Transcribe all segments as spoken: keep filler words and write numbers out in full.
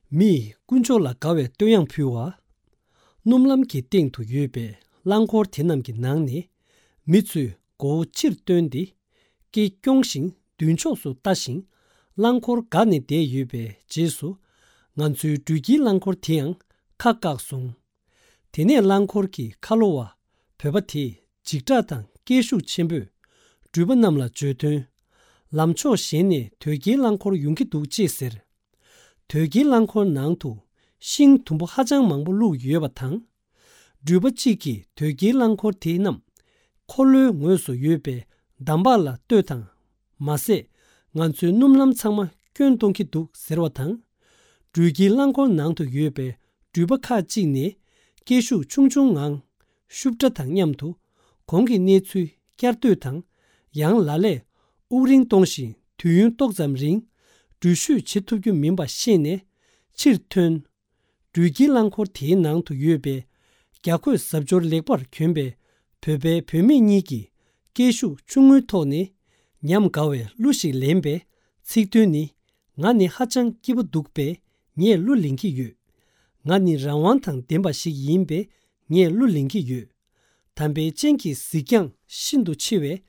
མིས་དཀོན་མཆོག་ལ་དགའ་བའི་བསྟོད་དབྱངས་ཕུལ་བ། སྣུམ་ལམ་གྱི་སྟེང་དུ་ཡོད་པའི་རླངས་འཁོར་དེ་རྣམས་ཀྱི་ནང་ནས་མི་ཚོས་མགོ་བོ་ཕྱིར་བཏོན་ཏེ། སྐེ་རྐྱོང་ཞིང་མདུན་ཕྱོགས་སུ་ལྟ་ཞིང་། རླངས་འཁོར་འགག་ནས་བསྡད་ཡོད་པའི་རྗེས་སུ། ང་ཚོའི་འགྲུལ་སྐྱེལ་རླངས་འཁོར་དེའང་ཁ་བཀག་སོང་། དེ་ནས་རླངས་འཁོར་གྱི་ཁ་ལོ་བ་བོད་པ་དེས་འཇིགས་སྐྲག་དང་སྐད་ཤུགས་ཆེན་པོས་འགྲུལ་པ་རྣམས་ལ་བརྗོད་དོན། ལམ་ཕྱོགས་གཞན་ནས་དོས་སྐྱེལ་རླངས་འཁོར་ཡོང་གི་འདུག་ཅེས་ཟེར། དོས་སྐྱེལ་རླངས་འཁོར་ནང་དུ་ཤིང་དུམ་བུ་ཧ་ཅང་མང་པོ་བླུགས་ཡོད་པ་དང་། འགྲུལ་པ་གཅིག་གིས་དོས་སྐྱེལ་རླངས་འཁོར་དེ་རྣམས་འཁོར་ལོའི་ངོས་སུ་ཡོད་པའི་འདམ་བག་ལ་ལྟོས་དང་། མ་ཟད། ང་ཚོའི་སྣུམ་ལམ་ཚང་མ་སྐྱོན་གཏོང་གི་འདུག་ཟེར་བ་དང་། འགྲུལ་སྐྱེལ་རླངས་འཁོར་ནང་དུ་ཡོད་པའི་འགྲུལ་པ་ཁག་ཅིག་ནས་སྐད་ཤུགས་ཆུང་ཆུང་ངང་ཤུབ་སྒྲ་དང་མཉམ་དུ་གོང་གི་གནས་ཚུལ་བསྐྱར་ཟློས་དང་། ཡང་ལ་ལས་དབུགས་རིང་གཏོང་བཞིན་དུས་ཡུན་ཏོག་ཙམ་རིང་འགྲུལ་བཞུད་བྱེད་ཐུབ་རྒྱུ་མིན་པ་ཤེས་ནས་ཕྱིར་ཐོན། འགྲུལ་སྐྱེལ་རླངས་འཁོར་དེའི་ནང་དུ་ཡོད་པའི་རྒྱ་བཀོད་གཟབ་མཆོར་ལེགས་པར་གྱོན་པའི་བོད་པའི་བུད་མེད་གཉིས་ཀྱིས་སྐད་ཤུགས་ཆུང་ངུའི་ཐོག་ནས་ཉམས་དགའ་བའི་གླུ་ཞིག་ལེན་པས། ཚིག་དོན་ནི། ང་ནི་ཧ་ཅང་སྐྱིད་པོ་འདུག་པས་ངས་གླུ་ལེན་གྱི་ཡོད། ང་ནི་རང་དབང་དང་ལྡན་པ་ཞིག་ཡིན་པས་ངས་གླུ་ལེན་གྱི་ཡོད། དམ་པའི་སྤྱན་གྱི་གཟིགས་རྒྱང་ཤིན་ཏུ་ཆེ་བས།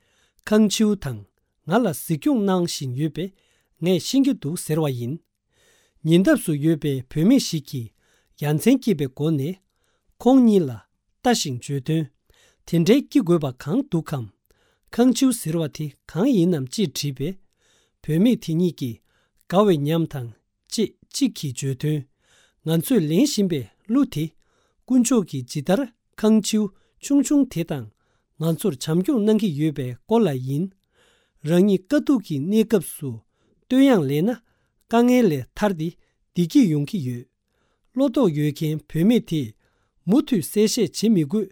ཁང་ཆིའུ་དང་ང་ལ་གཟིགས་སྐྱོང་གནང་བཞིན་ཡོད་པས་ངས་ཤེས་ཀྱི་འདུག་ཟེར་བ་ཡིན། ཉེ་འདབས་སུ་ཡོད་པའི་བུད་མེད་ཞིག་གིས་ཡ་མཚན་སྐྱེས་པའི་སྒོ་ནས་ཁོང་གཉིས་ལ་ལྟ་ཞིང་བརྗོད་དོན། དེ་འདྲའི་སྐྱིད་དགོས་པ་གང་འདུག་གམ། ཁང་ཆིའུ་ཟེར་བ་དེ་གང་ཡིན་ནམ་ཅེས་དྲིས་པས། བུད་མེད་དེ་གཉིས་ཀྱིས་དགའ་བའི་ཉམས་དང་ཅེས་གཅིག་གིས་བརྗོད་དོན། ང་ཚོས་ལེན་བཞིན་པའི་གླུ་དེ་དཀོན་མཆོག་གིས་ཇི་ལྟར་ཁང་ཆིའུ་ཆུང་ཆུང་དེ་དང་ང་ཚོར་བྱམས་སྐྱོང་གནང་གི་ཡོད་པའི་སྐོར་ལ་ཡིན། རང་ཉིད་དཀའ་སྡུག་གི་གནས་སྐབས་སུ་བསྟོད་དབྱངས་ལེན་ན་དཀའ་ངལ་ལས་ཐར་ཏེ་བདེ་སྐྱིད་ཡོང་གི་ཡོད། བློ་དོགས་ཡོད་མཁན་བུད་མེད་དེས་མུ་མཐུད་གསལ་བཤད་བྱེད་མི་དགོས།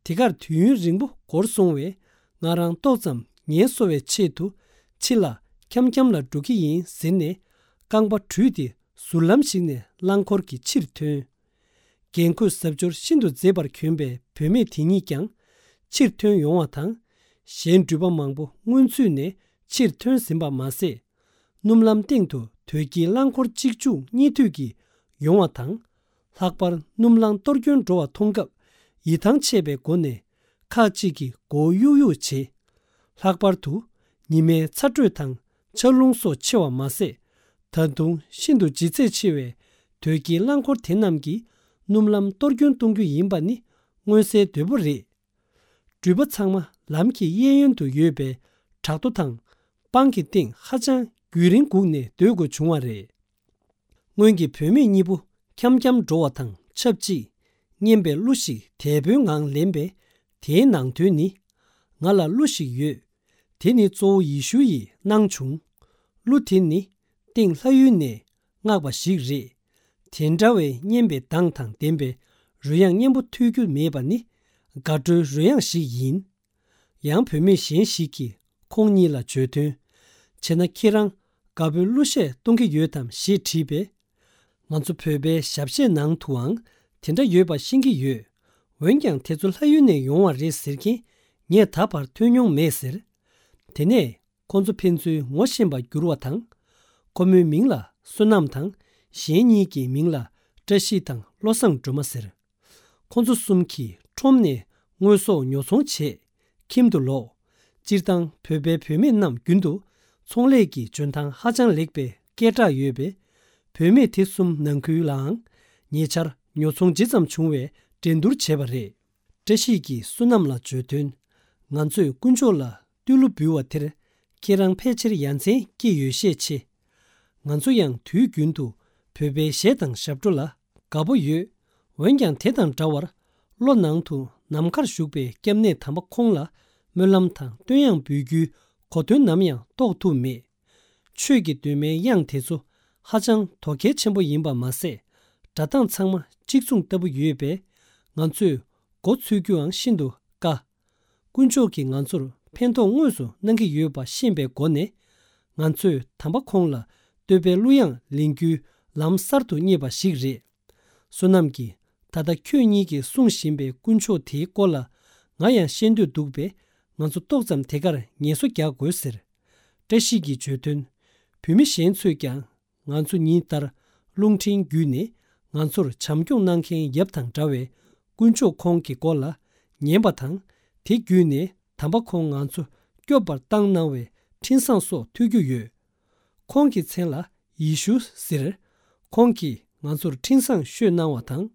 དེ་གར་དུས་ཡུན་རིང་པོ་འགོར་སོང་བས་ང་རང་ཏོག་ཙམ་ངལ་གསོ་བའི་ཆེད་དུ་ཕྱི་ལ་འཁྱམ་འཁྱམ་ལ་འགྲོ་གི་ཡིན་ཟེར་ནས་རྐང་པ་བྲུས་ཏེ་ཟུར་ལམ་ཞིག་ནས་རླངས་འཁོར་གྱིས་ཕྱིར་ཐོན། རྒྱན་གོས་གཟབ་མཆོར་ཤིན་ཏུ་མཛེས་པར་གྱོན་པའི་བུད་མེད་དེ་གཉིས་ཀྱང་ཕྱིར་ཐོན་ཡོང་བ་དང་། གཞན་འགྲུལ་པ་མང་པོ་སྔོན་ཚུད་ནས་ཕྱིར་ཐོན་ཟིན་པ་མ་ཟད། སྣུམ་ལམ་སྟེང་དུ་དོས་སྐྱེལ་རླངས་འཁོར་གཅིག་མཇུག་གཉིས་མཐུད་ཀྱིས་ཡོང་བ་དང་། ལྷག་པར་སྣུམ་རླངས་གཏོར་སྐྱོན་འགྲོ་བ་མཐོང་སྐབས་ཡིད་ཐང་ཆད་པའི་སྒོ་ནས་ཁག་ཅིག་གིས་མགོ་གཡུག་གཡུག་བྱེད། ལྷག་པར་དུ་ཉི་མའི་ཚ་དྲོད་དང་ཆར་རླུང་སོགས་ཆེ་བ་མ་ཟད། ད་དུང་ཤིན་ཏུ་ལྗིད་ཚད་ཆེ་བའི་དོས་སྐྱེལ་རླངས་འཁོར་དེ་རྣམས་ཀྱིས་སྣུམ་ལམ་གཏོར་སྐྱོན་གཏོང་རྒྱུ་ཡིན་པ་ནི་མངོན་གསལ་དོད་པོ་རེད། འགྲུལ་པ་ཚང་མ་ལམ་གྱི་གཡས་གཡོན་དུ་ཡོད་པའི་བྲག་རྡོ་དང་སྤང་གི་སྟེང་ཧ་ཅང་རྒྱུན་རིང་སྒུག་ནས་སྡོད་དགོས་བྱུང་བ་རེད། སྔོན་གྱི་བུད་མེད་གཉིས་པོ་འཁྱམ་འཁྱམ་འགྲོ་བ་དང་ཆབས་ཅིག་སྙན་པའི་གླུ་ཞིག་དལ་པོའི་ངང་ལེན་པས། དེའི་ནང་དོན་ནི། ང་ལ་གླུ་ཞིག་ཡོད། དེ་ནི་གཙོ་བོ་ཡེ་ཤུ་ཡིས་གནང་བྱུང་། གླུ་དེ་ནི་སྟེང་ལྷ་ཡུལ་ནས་མངགས་པ་ཞིག་རེད། དེ་འདྲ་བའི་སྙན་པའི་གདངས་དང་ལྡན་པའི་རོལ་དབྱངས་སྙན་པོ་ཐོས་རྒྱུ་མེད་པ་ནི་དགའ་སྤྲོའི་རོལ་དབྱངས་ཤིག་ཡིན། ཡང་བུད་མེད་གཞན་ཞིག་གིས་ཁོང་གཉིས་ལ་བརྗོད་དོན། བྱས་ན་ཁྱེད་རང་དགའ་པོའི་གླུ་གཞས་གཏོང་གི་ཡོད་དམ་ཞེས་དྲིས་པས། ང་ཚོ་བོད་པའི་ཞབས་གཞས་ནང་དུའང་དེ་འདྲ་ཡོད་པ་ཤེས་ཀྱི་ཡོད། འོན་ཀྱང་དེ་ཚོ་ལྷ་ཡུལ་ནས་ཡོང་བ་རེད་ཟེར་མཁན་ངས་ད་བར་ཐོས་མྱོང་མེད་ཟེར། དེ་ནས་ཁོ་ཚོ་ཕན་ཚུན་ངོ་ཤེས་པར་གྱུར་བ་དང་། ཁོ་མོའི་མིང་ལ་བསོད་ནམས་དང་། གཞན་གཉིས་ཀྱི་མིང་ལ་བཀྲ་ཤིས་དང་བློ་བཟང་སྒྲོལ་མ་ཟེར། ཁོ་ཚོ་གསུམ་གྱིས་ཁྲོམ་ནས་དངོས་ཟོག་ཉོ་ཚོང་བྱས། ཁྱིམ་དུ་ལོག་སྤྱིར་བཏང་བོད་པའི་བུད་མེད་རྣམས་རྒྱུན་དུ་ཚོང་ལས་ཀྱི་འཇོན་ཐང་ཧ་ཅང་ལེགས་པའི་སྐད་གྲགས་ཡོད་པས། བུད་མེད་དེ་གསུམ་ནང་ཁུལ་ལའང་ཉེ་ཆར་ཉོ་ཚོང་ཇི་ཙམ་བྱུང་བའི་འགྲན་བསྡུར་བྱས་པ་རེད། བཀྲ་ཤིས་ཀྱིས་བསོད་ནམས་ལ་བརྗོད་དོན། ང་ཚོས་དཀོན་མཆོག་ལ་བཏུས་གླུ་འབུལ་བ་དེར་ཁྱེད་རང་ཕལ་ཆེར་ཡ་མཚན་སྐྱེས་ཡོད་ཤས་ཆེ། ང་ཚོ་ཡང་དུས་རྒྱུན་དུ་བོད་པའི་གཞས་དང་ཞབས་བྲོ་ལ་དགའ་པོ་ཡོད། འོན་ཀྱང་དེ་དང་འདྲ་བར་བློ་ནང་དུ་ནམ་མཁར་བཞུགས་པའི་སྐྱབས་གནས་དམ་པ་ཁོང་ལ་སྨོན་ལམ་དང་བསྟོད་དབྱངས་འབུལ་རྒྱུའི་གོ་དོན་ནམ་ཡང་རྟོགས་ཐུབ་མེད། ཆོས་ཀྱི་གདོད་མའི་དབྱངས་དེ་ཚོ་ཧ་ཅང་དོ་གལ་ཆེན་པོ་ཡིན་པ་མ་ཟད། སྒྲ་གདངས་ཚང་མ་གཅིག་མཚུངས་ལྟ་བུ་ཡོད་པས། ང་ཚོས་མགོ་ཚོས་རྒྱུའང་ཤིན་ཏུ་དཀའ། དཀོན་མཆོག་གིས་ང་ཚོར་ཕན་ཐོགས་དངོས་སུ་གནང་གི་ཡོད་པ་ཤེས་པའི་སྒོ་ནས། ང་ཚོས་དམ་པ་ཁོང་ལ་བསྟོད་པའི་གླུ་དབྱངས་ལེན་རྒྱུའི་ལམ་གསར་དུ་རྙེད་པ་ཞིག་རེད། བསོད་ནམས་ཀྱིས་ད་ལྟ་ཁྱོད་གཉིས་ཀྱིས་གསུང་བཞིན་པའི་དཀོན་མཆོག་དེའི་སྐོར་ལ་ང་ཡང་ཤེས་འདོད་འདུག་པས། ང་ཚོ་ཏོག་ཙམ་དེ་གར་ངལ་གསོ་རྒྱག་དགོས་ཟེར། བཀྲ་ཤིས་ཀྱིས་བརྗོད་དོན། བུད་མེད་གཞན་ཚོས་ཀྱང་ང་ཚོ་ཉིན་ལྟར་ རླུང་འཕྲིན་བརྒྱུད་ནས་ང་ཚོར་བྱམས་སྐྱོང་གནང་མཁན་ཡབ་དང་འདྲ་བའི་དཀོན་མཆོག་ཁོང་གི་སྐོར་ལ་ཉན་པ་དང་། དེ་བརྒྱུད་ནས་དམ་པ་ཁོང་ང་ཚོ་སྐྱོབ་པར་བཏང་གནང་བའི་འཕྲིན་བཟང་སོགས་ཐོས་རྒྱུ་ཡོད། ཁོང་གི་མཚན་ལ་ཡེ་ཤུ་ཟེར། ཁོང་གིས་ང་ཚོར་འཕྲིན་བཟང་ཤོད་གནང་བ་དང་།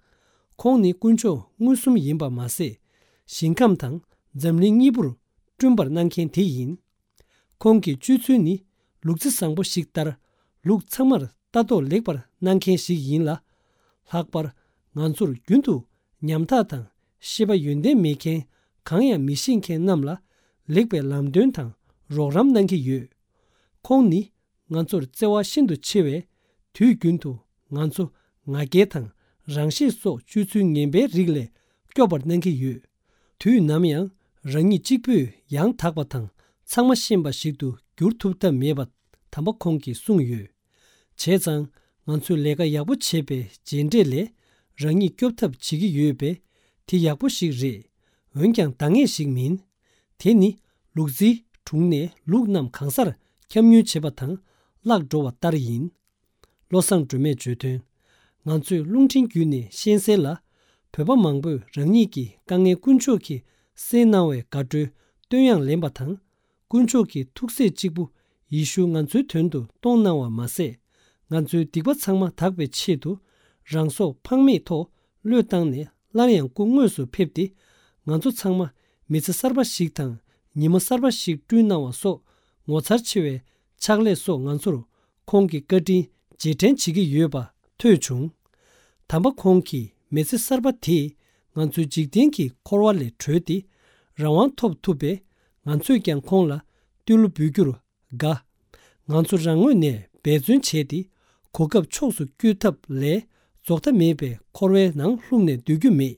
ཁོང་ནི་དཀོན་མཆོག་མངོན་སུམ་ཡིན་པ་མ་ཟད། ཞིང་ཁམས་དང་འཛམ་གླིང་གཉིས་པོར་བསྐྲུན་པར་གནང་མཁན་དེ་ཡིན། ཁོང་གི་སྤྱོད་ཚུལ་ནི་ལུག་རྫི་བཟང་པོ་ཞིག་ལྟར། ལུག་ཚང་མར་ལྟ་རྟོག་ལེགས་པར་གནང་མཁན་ཞིག་ཡིན་ལ། ལྷག་པར་ང་ཚོར་རྒྱུན་དུ་ཉམ་ཐག་དང་ཤེས་པ་ཡོན་ཏན་མེད་མཁན། གང་ཡང་མི་ཤེས་མཁན་རྣམས་ལ་ལེགས་པའི་ལམ་སྟོན་དང་རོགས་རམ་གནང་གི་ཡོད། ཁོང་ནི་ང་ཚོར་བརྩེ་བ་ཤིན་ཏུ་ཆེ་བས། དུས་རྒྱུན་དུ་ང་ཚོ་ང་རྒྱལ་དང་རང་ཤེད་སོགས་སྤྱོད་ཚུལ་ངན་པའི་རིགས་ལས་སྐྱོབ་པར་གནང་གི་ཡོད། དུས་ནམ་ཡང་རང་ཉིད་གཅིག་པུས་ཡང་དག་པ་དང་ཚང་མ་ཤེས་པ་ཞིག་ཏུ་འགྱུར་ཐུབ་ཐབས་མེད་པ་དམ་པ་ཁོང་གིས་གསུངས་ཡོད། བྱས་ཙང་ང་ཚོས་ལས་ཀ་ཡག་པོ་བྱས་པའི་རྗེས་འབྲས་ལས་རང་ཉིད་སྐྱོབ་ཐབས་བྱེད་ཀྱི་ཡོད་པས། དེ་ཡག་པོ་ཞིག་རེད། འོན་ཀྱང་འདང་ངེས་ཤིག་མིན། དེ་ནི་ལུག་རྫིའི་དྲུང་ནས་ལུག་རྣམས་གང་སར་འཁྱམ་ཉུལ་བྱེད་པ་དང་བརླག་འགྲོ་བ་ལྟར་ཡིན། བློ་བཟང་སྒྲོལ་མས་བརྗོད་དོན། ང་ཚོས་རླུང་འཕྲིན་བརྒྱུད་ནས་ཤེས་གསལ་ལ། བོད་པ་མང་པོས་རང་ཉིད་ཀྱི་དཀའ་ངལ་དཀོན་མཆོག་གིས་སེལ་གནང་བའི་དགའ་སྤྲོའི་བསྟོད་དབྱངས་ལེན་པ་དང་། དཀོན་མཆོག་གི་ཐུགས་སྲས་གཅིག་པུ་ཡེ་ཤུ་ང་ཚོའི་དོན་དུ་གཏོང་གནང་བ་མ་ཟད། ང་ཚོའི་སྡིག་པ་ཚང་མ་དག་པའི་ཆེད་དུ། རང་སྲོག་ཕངས་མེད་ཐོག་བློས་བཏང་ནས་སླར་ཡང་སྐུ་དངོས་སུ་ཕེབས་ཏེ། ང་ཚོ་ཚང་མ་མི་ཚེ་གསར་པ་ཞིག་དང་ཉི་མ་གསར་པ་ཞིག་བསྐྲུན་གནང་བ་སོགས། ངོ་མཚར་ཆེ་བའི་ཕྱག་ལས་སོགས་ང་ཚོར་ཁོང་གི་བཀའ་དྲིན་རྗེས་དྲན་བྱེད་ཀྱི་ཡོད་པ་ཐོས་བྱུང་། དམ་པ་ཁོང་གིས་མི་ཚེ་གསར་པ་དེས་ང་ཚོའི་འཇིག་རྟེན་གྱི་འཁོར་བ་ལས་གྲོལ་ཏེ་རང་དབང་ཐོབ་ཐུབ་པས། ང་ཚོས་ཀྱང་ཁོང་ལ་བསྟོད་གླུ་འབུལ་རྒྱུར་དགའ། ང་ཚོ་རང་ངོས་ནས་འབད་བརྩོན་བྱས་ཏེ་གོ་སྐབས་ཕྱོགས་སུ་བསྐྱོད་ཐབས་ལས་རྫོགས་མཐའ་མེད་པའི་འཁོར་བའི་ནང་ལྷུང་ནས་སྡོད་རྒྱུ་མེད།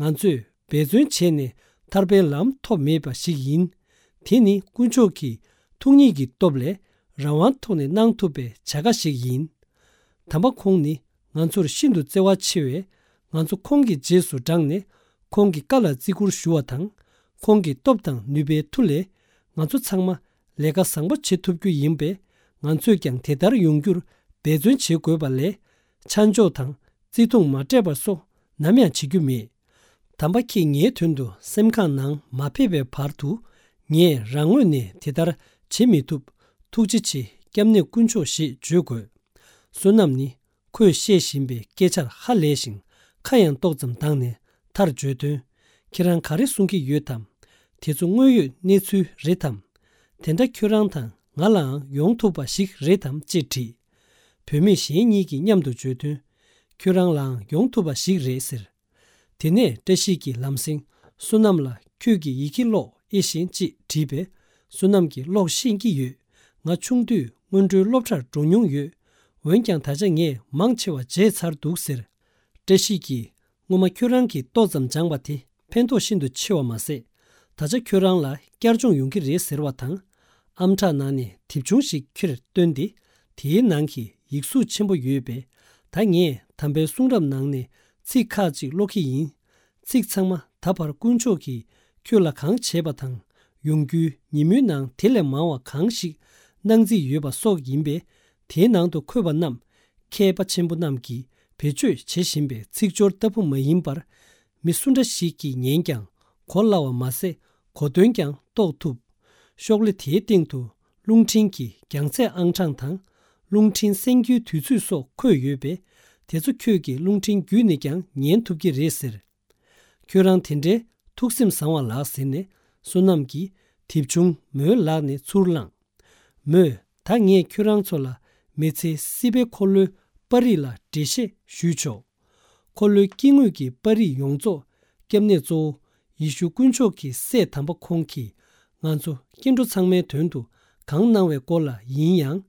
ང་ཚོས་འབད་བརྩོན་བྱས་ནས་ཐར་པའི་ལམ་ཐོབ་མེད་པ་ཞིག་ཡིན། དེ་ནི་དཀོན་མཆོག་གི་ཐུགས་ཉིད་ཀྱི་སྟོབས་ལས་རང་དབང་ཐོག་ནས་གནང་ཐུབ་པའི་བྱ་དགའ་ཞིག་ཡིན། དམ་པ་ཁོང་ནི་ང་ཚོར་ཤིན་ཏུ་བརྩེ་བ་ཆེ་བས། ང་ཚོ་ཁོང་གི་རྗེས་སུ་འབྲངས་ནས་ཁོང་གི་བཀའ་ལ་བརྩི་བཀུར་ཞུ་བ་དང་། ཁོང་གི་སྟོབས་དང་ནུས་པའི་མཐུ་ལས་ང་ཚོ་ཚང་མ་ལས་ཀ་བཟང་པོ་བྱེད་ཐུབ་རྒྱུ་ཡིན་པས། ང་ཚོས་ཀྱང་དེ་ལྟར་ཡོང་རྒྱུར་འབད་བརྩོན་བྱེད་དགོས་པ་ལས། ཆ་འཇོག་དང་བརྩི་མཐོང་མ་སྤྲད་པ་སོགས་ནམ་ཡང་བྱེད་རྒྱུ་མེད། དམ་པ་ཁྱེད་ངའི་དོན་དུ་སེམས་ཁམས་ནང་མ་ཕེབས་པའི་བར་དུ། ངས་རང་ངོས་ནས་དེ་ལྟར་བྱེད་མི་ཐུབ། ཐུགས་རྗེ་ཆེ། སྐྱབས་གནས་དཀོན་མཆོག་ཞེས་བརྗོད་དགོས། བསོད་ནམས་ནི་ཁོས་བཤད་བཞིན་པའི་སྐད་ཆར་ཧ་ལས་ཤིང་ཁ་ཡང་ཏོག་ཙམ་གདངས་ནས་མཐར་བརྗོད་དོན། ཁྱེད་རང་ག་རེ་གསུང་གི་ཡོད་དམ། དེ་ཚོ་དངོས་ཡོད་གནས་ཚུལ་རེད་དམ། དེ་འདྲ་ཁྱོད་རང་དང་ང་ལའང་ཡོང་ཐུབ་པ་ཞིག་རེད་དམ་ཅེས་དྲིས། བུད་མེད་གཞན་གཉིས་ཀྱིས་མཉམ་དུ་བརྗོད་དོན། ཁྱོད་རང་ལའང་ཡོང་ཐུབ་པ་ཞིག་རེད་ཟེར། དེ་ནས་བཀྲ་ཤིས་ཀྱིས་ལམ་སེང་བསོད་ནམས་ལ་ཁྱོད་ཀྱིས་ཡི་གེ་ཀློག་ཨེ་ཤེས་ཅེས་དྲིས་པས། བསོད་ནམས་ཀྱིས་ཀློག་ཤེས་ཀྱི་ཡོད། ང་ཆུང་དུས་སྔོན་འགྲོའི་སློབ་གྲྭར་འགྲོ་མྱོང་ཡོད། འོན་ཀྱང་ད་ཆ་ངས་མང་ཆེ་བ་བརྗེད་ཚར་འདུག་ཟེར། བཀྲ་ཤིས་ཀྱིས། སྔོན་མ་ཁྱོད་རང་གིས་ཏོག་ཙམ་སྦྱངས་པ་དེ་ཕན་ཐོགས་ཤིན་ཏུ་ཆེ་བ་མ་ཟད། ད་ཆ་ཁྱོད་རང་ལ་བསྐྱར་སྦྱོང་ཡོང་གི་རེད་ཟེར་བ་དང་། ཨམ་ཕྲག་ནང་ནས་དེབ་ཆུང་ཞིག་ཁྱེར་བཏོན་ཏེ། དེའི་ནང་གི་ཡིག་གཟུགས་ཆེན་པོ་ཡོད་པས། ད་ངས་དམ་པའི་གསུང་རབ་ནང་ནས་ཚིག་ཁག་ཅིག་ཀློག་གི་ཡིན། ཚིག་ཚང་མ་ད་བར་དཀོན་མཆོག་གིས་ཁྱོད་ལ་གང་བྱས་པ་དང་། ཡོང་རྒྱུའི་ཉིན་མོའི་ནང་དེ་ལས་མང་བ་གང་ཞིག་གནང་རྩིས་ཡོད་པ་སོགས་ཡིན་པས། དེའི་ནང་དུ་འཁོད་པ་རྣམས་མཁས་པ་ཆེན་པོ་རྣམས་ཀྱིས་བེད་སྤྱོད་བྱེད་བཞིན་པའི་ཚིག་སྦྱོར་ལྟ་བུ་མ་ཡིན་པར། མི་སུ་འདྲ་ཞིག་གིས་ཉན་ཀྱང་གོ་སླ་བ་མ་ཟད། གོ་དོན་ཀྱང་རྟོགས་ཐུབ། ཤོག་ལེ་དེའི་སྟེང་དུ་རླུང་འཕྲིན་གྱི་རྒྱང་ཚད་ཨང་གྲངས་དང་། རླུང་འཕྲིན་གསན་རྒྱུའི་དུས་ཚོད་སོགས་འཁོད་ཡོད་པས། དེ་ཚོ་ཁྱོད་ཀྱིས་རླུང་འཕྲིན་བརྒྱུད་ནས་ཀྱང་ཉན་ཐུབ་ཀྱི་རེད་ཟེར། ཁྱོད་རང་དེ་འདྲའི་ཐུགས་སེམས་བཟང་བ་ལགས་ཟེར་ནས། བསོད་ནམས་ཀྱིས་དེབ་ཆུང་མོའི་ལག་ནས་ཚུར་བླངས། མོས། ད་ངས་ཁྱོད་རང་ཚོ་ལ་མི་ཚེ་སྲིད་པའི་འཁོར་ལོའི་པར་རིས་ལ་འགྲེལ་བཤད་ཞུས་ཆོག། འཁོར་ལོའི་དཀྱིལ་ངོས་ཀྱི་པར་རིས་ཡོངས་རྫོགས་སྐྱབས་གནས་གཙོ་བོ་ཡེ་ཤུ་དཀོན་མཆོག་གི་སྲས་དམ་པ་ཁོང་གིས་ང་ཚོ་སྐྱེ་འགྲོ་ཚང་མའི་དོན་དུ་གང་གནང་བའི་སྐོར་ལ་ཡིན་ཡང་།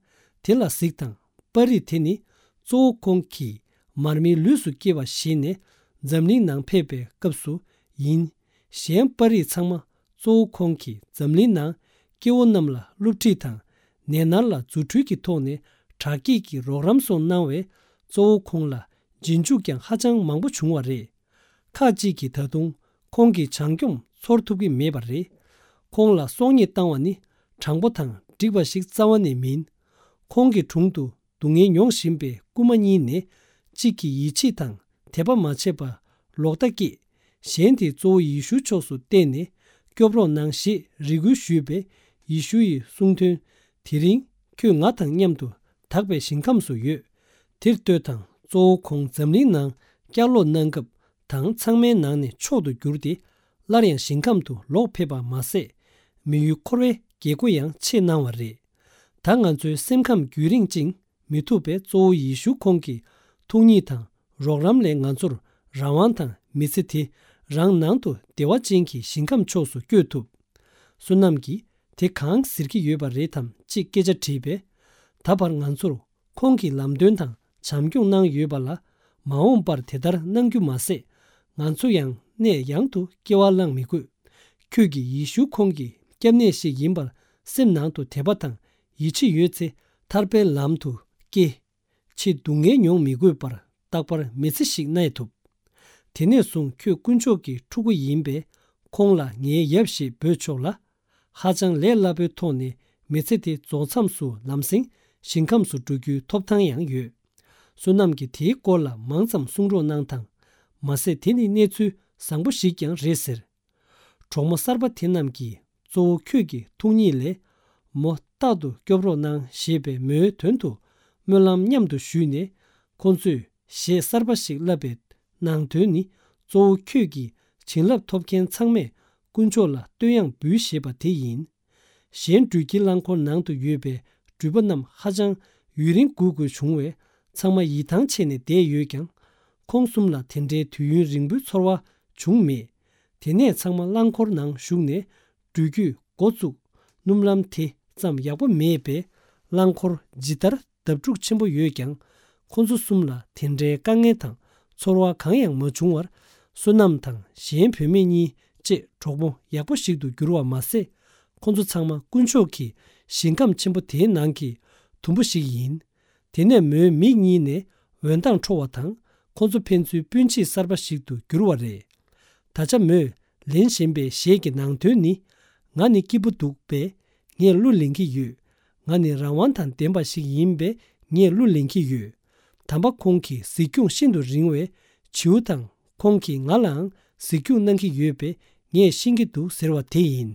དེ་ལ་གཟིགས་དང་། པར་རིས་དེ་ནི་གཙོ་བོ་ཁོང་གིས་མར་མེའི་ལུས་སུ་སྐྱེ་བ་བཞེས་ནས་འཛམ་གླིང་ནང་ཕེབས་པའི་སྐབས་སུ་ཡིན། གཞན་པར་རིས་ཚང་མ་གཙོ་བོ་ཁོང་གིས་འཛམ་གླིང་ནང་སྐྱེ་བོ་རྣམས་ལ་བསླུ་བྲིད་དང་ནད་མནར་ལ་རྫུ་འཕྲུལ་གྱི་ཐོག་ནས་དྲག་སྐྱེད་ཀྱི་རོགས་རམ་སོགས་གནང་བས། གཙོ་བོ་ཁོང་ལ་རྗེས་འཇུག་ཀྱང་ཧ་ཅང་མང་པོ་བྱུང་བ་རེད། ཁག་ཅིག་གིས་ད་དུང་ཁོང་གི་བྱང་སྐྱོང་ཚོར་ཐུབ་ཀྱི་མེད་པ་རེད། ཁོང་ལ་སྲོག་ཉེས་བཏང་བ་ནི་དྲང་པོ་དང་འགྲིག་པ་ཞིག་རྩ་བ་ནས་མིན། ཁོང་གི་དྲུང་དུ་ སྡུག་བསྔལ་མྱོང་བཞིན་པའི་རྐུན་མ་གཉིས་ནས་གཅིག་གིས་ཡིད་ཆེས་དང་དད་པ་མ་བྱས་པར་ལོག་ལྟ་སྐྱེས། གཞན་དེས་གཙོ་བོ་ཡེ་ཤུ་ཕྱོགས་སུ་བལྟས་ནས་སྐྱོབ་རོགས་གནང་ཞེས་རེ་སྐུལ་ཞུས་པས། ཡེ་ཤུ་ཡིས་གསུངས་དོན། དེ་རིང་ཁྱོད་ང་དང་མཉམ་དུ་དག་པའི་ཞིང་ཁམས་སུ་ཡོད། དེར་ལྟོས་དང་། གཙོ་བོ་ཁོང་འཛམ་གླིང་ནང་བསྐྱར་ལོག་གནང་སྐབས་དང་ཚང་མའི་ནང་ནས་མཆོག་ཏུ་གྱུར་ཏེ། སླར་ཡང་ཞིང་ཁམས་སུ་ལོག་ཕེབས་པ་མ་ཟད། མི་ཡུལ་འཁོར་བའི་རྒྱལ་སྒོ་ཡང་ཕྱེ་གནང་བ་རེད། ད་ང་ཚོའི་སེམས་ཁམས་རྒྱུན་རིང་ཅིང་མི་ཐུབ་པའི་གཙོ་བོ་ཡེ་ཤུ་ཁོང་གི་ཐུགས་ཉིད་དང་རོགས་རམ་ལས་ང་ཚོར་རང་དབང་དང་མི་ཚེ་དེ་རང་ནང་དུ་བདེ་བ་ཅན་གྱི་ཞིང་ཁམས་ཕྱོགས་སུ་བསྐྱོད་ཐུབ། བསོད་ནམས་ཀྱིས་དེ་གང་ཟེར་གྱི་ཡོད་པ་རེད་དམ་ཅེས་སྐད་ཆ་དྲིས་པས། ད་བར་ང་ཚོར་ཁོང་གི་ལམ་སྟོན་དང་བྱམས་སྐྱོང་གནང་ཡོད་པ་ལ། མ་འོངས་པར་དེ་ལྟར་གནང་རྒྱུ་མ་ཟད། ང་ཚོ་ཡང་གནས་ཡང་དུ་སྐྱེ་བ་བླངས་མི་དགོས། ཁྱོད་ཀྱིས་ཡེ་ཤུ་ཁོང་གི་སྐྱབས་གནས་ཤིག་ཡིན་པར་སེམས་ནང་དུ་དད་པ་དང་ཡིད་ཆེས་ཡོད་ཚེ། ཐར་པའི་ལམ་དུ་སྐྱེ། ཆེས་སྡུག་བསྔལ་མྱོང་མི་དགོས་པར་རྟག་པར་མི་ཚེ་ཞིག་གནས་ཐུབ། དེ་ནས་བཟུང་ཁྱོད་དཀོན་མཆོག་གི་ཕྲུ་གུ་ཡིན་པས། ཁོང་ལ་ངའི་ཡབ་ཞེས་འབོད་ཆོག་ལ། ཧ་ཅང་ལས་སླ་པོའི་ཐོག་ནས་མི་ཚེ་དེ་རྫོགས་མཚམས་སུ་ལམ་སེང་ཞིང་ཁམས་སུ་འགྲོ་རྒྱུའི་ཐོབ་ཐང་ཡང་ཡོད། བསོད་ནམས་ཀྱིས་དེའི་སྐོར་ལ་མང་ཙམ་གསུང་རོགས་གནང་དང་། མ་ཟད་དེ་ནི་གནས་ཚུལ་བཟང་པོ་ཞིག་ཀྱང་རེད་ཟེར། གྲོགས་མོ་གསར་པ་དེ་རྣམས་ཀྱིས་གཙོ་བོ་ཁྱོད་ཀྱི་ཐུགས་ཉིད་ལས། མོ་རྟག་ཏུ་སྐྱོབ་རོགས་གནང་ཞེས་པའི་མོའི་དོན་དུ་སྨོན་ལམ་མཉམ་དུ་ཞུས་ནས། ཁོ་ཚོས་གཞས་གསར་པ་ཞིག་བསླབས་པའི་ནང་དོན་ནི། གཙོ་བོ་ཁྱོད་ཀྱིས་བྱིན་རླབས་ཐོབ་མཁན་ཚང་མས་དཀོན་མཆོག་ལ་བསྟོད་དབྱངས་འབུལ་ཞེས་པ་དེ་ཡིན། གཞན་འགྲུལ་སྐྱེལ་རླངས་འཁོར་ནང་དུ་ཡོད་པའི་འགྲུལ་པ་རྣམས་ཧ་ཅང་ཡུན་རིང་སྒུག་དགོས་བྱུང་བས། ཚང་མ་ཡིད་ཐང་ཆད་ནས་བསྡད་ཡོད་ཀྱང་། ཁོང་གསུམ་ལ་དེ་འདྲའི་དུས་ཡུན་རིང་པོའི་ཚོར་བ་བྱུང་མེད། དེ་ནས་ཚང་མ་རླངས་འཁོར་ནང་ཞུགས་ནས་འགྲུལ་སྐྱོད་འགོ་བཙུགས། སྣུམ་ལམ་དེ་ཙམ་ཡག་པོ་མེད་པས། རླངས་འཁོར་ཇི་ལྟར་བརྡབ་འཁྲུག་ཆེན་པོ་ཡོད་ཀྱང་། ཁོ་ཚོ་གསུམ་ལ་དེ་འདྲའི་དཀའ་ངལ་དང་ཚོར་བ་གང་ཡང་མ་བྱུང་བར། བསོད་ནམས་དང་གཞན་བུད་མེད་གཉིས་བཅས་གྲོགས་པོ་ཡག་པོ་ཞིག་ཏུ་གྱུར་བ་མ་ཟད། ཁོ་ཚོ་ཚང་མ་དཀོན་མཆོག་གི་ཞིང་ཁམས་ཆེན་པོ་དེའི་ནང་གི་དུམ་བུ་ཞིག་ཡིན། དེ་ནས་མོའི་མིག་གཉིས་ནས་འོད་མདངས་འཕྲོ་བ་དང་། ཁོ་ཚོ་ཕན་ཚུན་སྤུན་མཆེད་གསར་པ་ཞིག་ཏུ་གྱུར་བ་རེད། ད་ཆ་མོས་ལེན་བཞིན་པའི་གཞས་ཀྱི་ནང་དོན་ནི། ང་ནི་སྐྱིད་པོ་འདུག་པས་ངས་གླུ་ལེན་གྱི་ཡོད། ང་ནི་རང་དབང་དང་ལྡན་པ་ཞིག་ཡིན་པས་ངས་གླུ་ལེན་གྱི་ཡོད། དམ་པ་ཁོང་གི་གཟིགས་སྐྱོང་ཤིན་ཏུ་རིང་བས། བྱིའུ་དང་ཁོང་གིས་ང་ལའང་གཟིགས་སྐྱོང་གནང་གི་ཡོད་པས་ངས་ཤེས་ཀྱི་འདུག་ཟེར་བ་དེ་ཡིན།